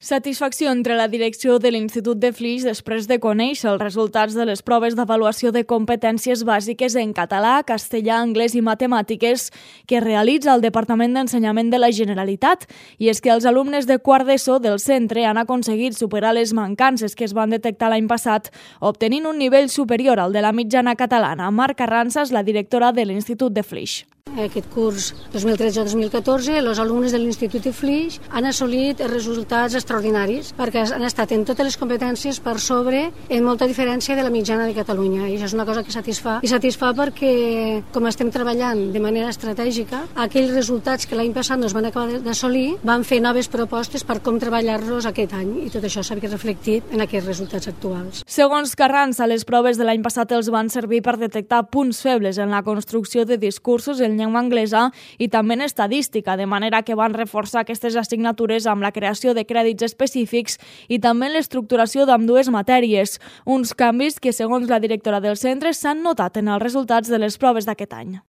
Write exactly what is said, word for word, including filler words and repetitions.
Satisfacció entre la direcció de l'Institut de Flix després de conèixer els resultats de les proves d'avaluació de competències bàsiques en català, castellà, anglès i matemàtiques que realitza el Departament d'Ensenyament de la Generalitat. I és que els alumnes de quart d'ESO del centre han aconseguit superar les mancances que es van detectar l'any passat, obtenint un nivell superior al de la mitjana catalana. Marc Arranza és la directora de l'Institut de Flix. Aquest curs dos mil tretze dos mil catorze, els alumnes de l'Institut de Flix han assolit resultats extraordinaris perquè han estat en totes les competències per sobre, en molta diferència de la mitjana de Catalunya. I això és una cosa que satisfà. I satisfà perquè, com estem treballant de manera estratègica, aquells resultats que l'any passat no es van acabar d'assolir, van fer noves propostes per com treballar-los aquest any. I tot això s'ha reflectit en aquests resultats actuals. Segons Carranza, les proves de l'any passat els van servir per detectar punts febles en la construcció de discursos en llengua anglesa i també en estadística, de manera que van reforçar aquestes assignatures amb la creació de crèdits específics i també en l'estructuració d'ambdues matèries, uns canvis que, segons la directora del centre, s'han notat en els resultats de les proves d'aquest any.